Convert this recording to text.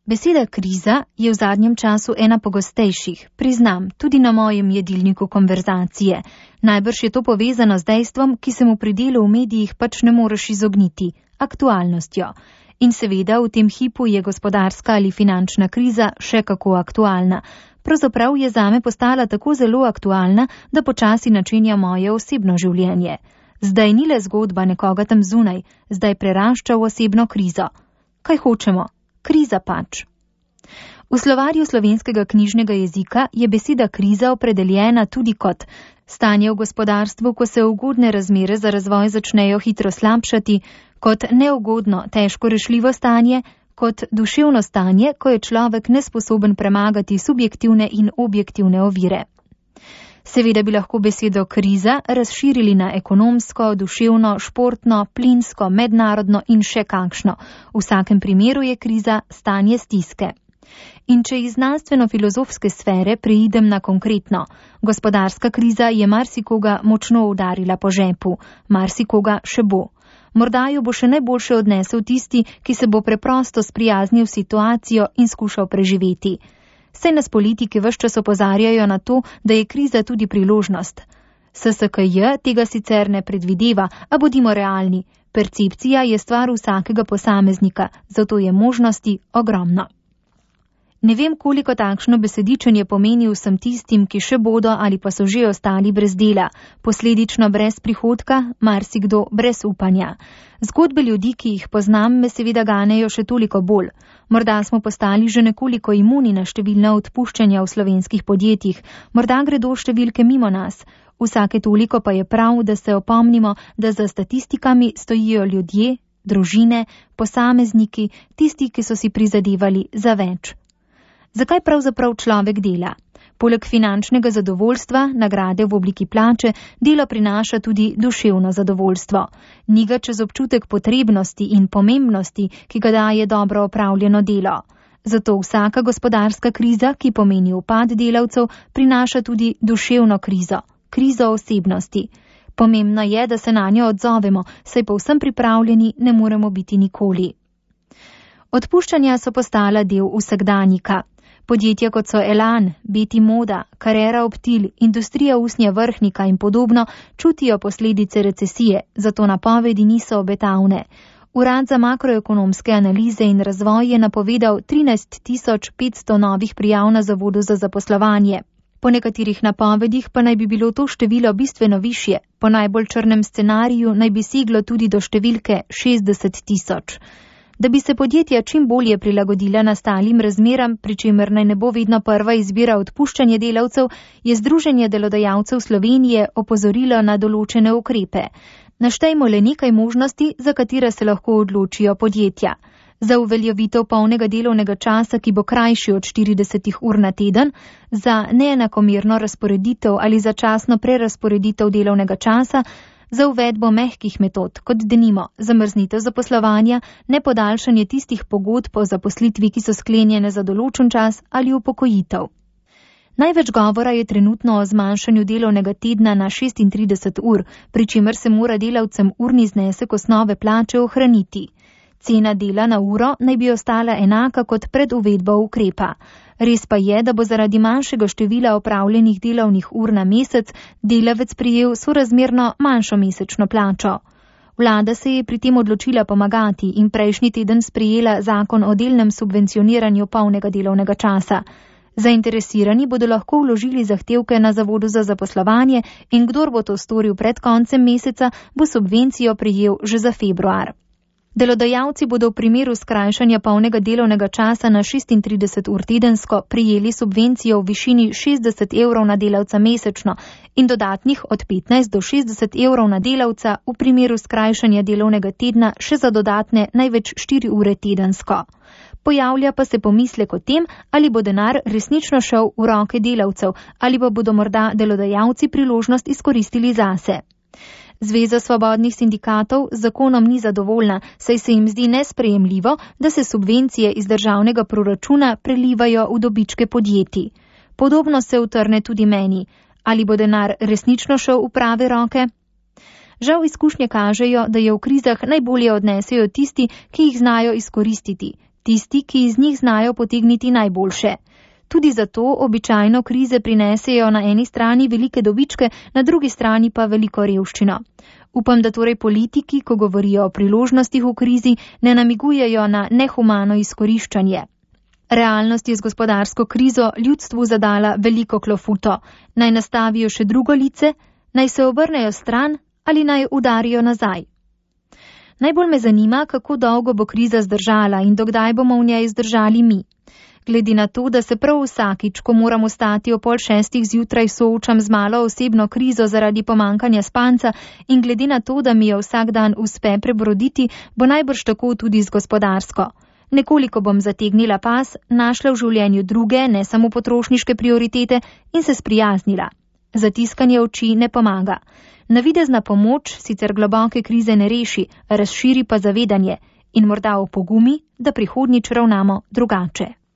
Beseda kriza je v zadnjem času ena pogostejših, priznam, tudi na mojem jedilniku konverzacije. Najbrž je to povezano z dejstvom, ki se mu pri delu v medijih pač ne moreš izogniti, aktualnostjo. In seveda v tem hipu je gospodarska ali finančna kriza še kako aktualna. Pravzaprav je zame postala tako zelo aktualna, da počasi načenja moje osebno življenje. Zdaj ni le zgodba nekoga tam zunaj, zdaj prerašča v osebno krizo. Kaj hočemo? Kriza pač. V slovarju slovenskega knjižnega jezika je beseda kriza opredeljena tudi kot stanje v gospodarstvu, ko se ugodne razmere za razvoj začnejo hitro slabšati, kot neugodno, težko rešljivo stanje, kot duševno stanje, ko je človek nesposoben premagati subjektivne in objektivne ovire. Seveda bi lahko besedo kriza razširili na ekonomsko, duševno, športno, plinsko, mednarodno in še kakšno. V vsakem primeru je kriza stanje stiske. In če iz znanstveno-filozofske sfere preidem na konkretno, gospodarska kriza je marsikoga močno udarila po žepu, marsikoga še bo. Morda jo bo še najboljše odnesel tisti, ki se bo preprosto sprijaznil situacijo in skušal preživeti. Saj nas politiki ves čas opozarjajo na to, da je kriza tudi priložnost. SSKJ tega sicer ne predvideva, a bodimo realni. Percepcija je stvar vsakega posameznika, zato je možnosti ogromno. Ne vem, koliko takšno besedičenje pomeni vsem tistim, ki še bodo ali pa so že ostali brez dela, posledično brez prihodka, marsikdo brez upanja. Zgodbe ljudi, ki jih poznam, me seveda ganejo še toliko bolj. Morda smo postali že nekoliko imuni na številna odpuščanja v slovenskih podjetjih, morda gredo številke mimo nas. Vsake toliko pa je prav, da se opomnimo, da za statistikami stojijo ljudje, družine, posamezniki, tisti, ki so si prizadevali za več. Zakaj pravzaprav človek dela? Poleg finančnega zadovoljstva, nagrade v obliki plače, delo prinaša tudi duševno zadovoljstvo. Ni ga čez občutek potrebnosti in pomembnosti, ki ga daje dobro opravljeno delo. Zato vsaka gospodarska kriza, ki pomeni upad delavcev, prinaša tudi duševno krizo, krizo osebnosti. Pomembno je, da se na njo odzovemo, saj povsem pripravljeni ne moremo biti nikoli. Odpuščanja so postala del vsakdanjika. Podjetja kot so Elan, Beti Moda, Carrera Optil, industrija usnja Vrhnika in podobno čutijo posledice recesije, zato napovedi niso obetavne. Urad za makroekonomske analize in razvoj je napovedal 13.500 novih prijav na Zavodu za zaposlovanje. Po nekaterih napovedih pa naj bi bilo to število bistveno višje, po najbolj črnem scenariju naj bi seglo tudi do številke 60.000. Da bi se podjetja čim bolje prilagodila nastalim razmeram, pri čemer naj ne bo vedno prva izbira odpuščanje delavcev, je Združenje delodajalcev Slovenije opozorilo na določene ukrepe. Naštejmo le nekaj možnosti, za katere se lahko odločijo podjetja. Za uveljavitev polnega delovnega časa, ki bo krajši od 40 ur na teden, za neenakomerno razporeditev ali začasno prerazporeditev delovnega časa, za uvedbo mehkih metod, kot denimo zamrznitev zaposlovanja, nepodaljšanje tistih pogodb o zaposlitvi, ki so sklenjene za določen čas ali upokojitev. Največ govora je trenutno o zmanjšanju delovnega tedna na 36 ur, pri čemer se mora delavcem urni znesek osnove plače ohraniti. Cena dela na uro naj bi ostala enaka kot pred uvedbo ukrepa. Res pa je, da bo zaradi manjšega števila opravljenih delovnih ur na mesec delavec prijel sorazmerno manjšo mesečno plačo. Vlada se je pri tem odločila pomagati in prejšnji teden sprejela zakon o delnem subvencioniranju polnega delovnega časa. Zainteresirani bodo lahko vložili zahtevke na Zavodu za zaposlovanje in kdor bo to storil pred koncem meseca, bo subvencijo prejel že za februar. Delodajalci bodo v primeru skrajšanja polnega delovnega časa na 36 ur tedensko prijeli subvencijo v višini 60 evrov na delavca mesečno in dodatnih od 15 do 60 evrov na delavca v primeru skrajšanja delovnega tedna še za dodatne največ 4 ure tedensko. Pojavlja pa se pomislek o tem, ali bo denar resnično šel v roke delavcev ali pa bodo morda delodajalci priložnost izkoristili zase. Zveza svobodnih sindikatov z zakonom ni zadovoljna, saj se jim zdi nesprejemljivo, da se subvencije iz državnega proračuna prelivajo v dobičke podjetij. Podobno se utrne tudi meni. Ali bo denar resnično šel v prave roke? Žal izkušnje kažejo, da je v krizah najbolje odnesejo tisti, ki jih znajo izkoristiti. tisti, ki iz njih znajo potegniti najboljše. Tudi zato običajno krize prinesejo na eni strani velike dobičke, na drugi strani pa veliko revščino. Upam, da torej politiki, ko govorijo o priložnostih v krizi, ne namigujejo na nehumano izkoriščanje. Realnost je z gospodarsko krizo ljudstvu zadala veliko klofuto. Naj nastavijo še drugo lice, naj se obrnejo stran ali naj udarijo nazaj. Najbolj me zanima, kako dolgo bo kriza zdržala in dokdaj bomo v njej zdržali mi. Glede na to, da se prav vsakič, ko moram vstati o 5:30 zjutraj, soočam z malo osebno krizo zaradi pomankanja spanca in glede na to, da mi jo vsak dan uspe prebroditi, bo najbrž tako tudi z gospodarsko. Nekoliko bom zategnila pas, našla v življenju druge, ne samo potrošniške prioritete in se sprijaznila. Zatiskanje oči ne pomaga. Navidezna pomoč sicer globoke krize ne reši, razširi pa zavedanje in morda opogumi, da prihodnjič ravnamo drugače.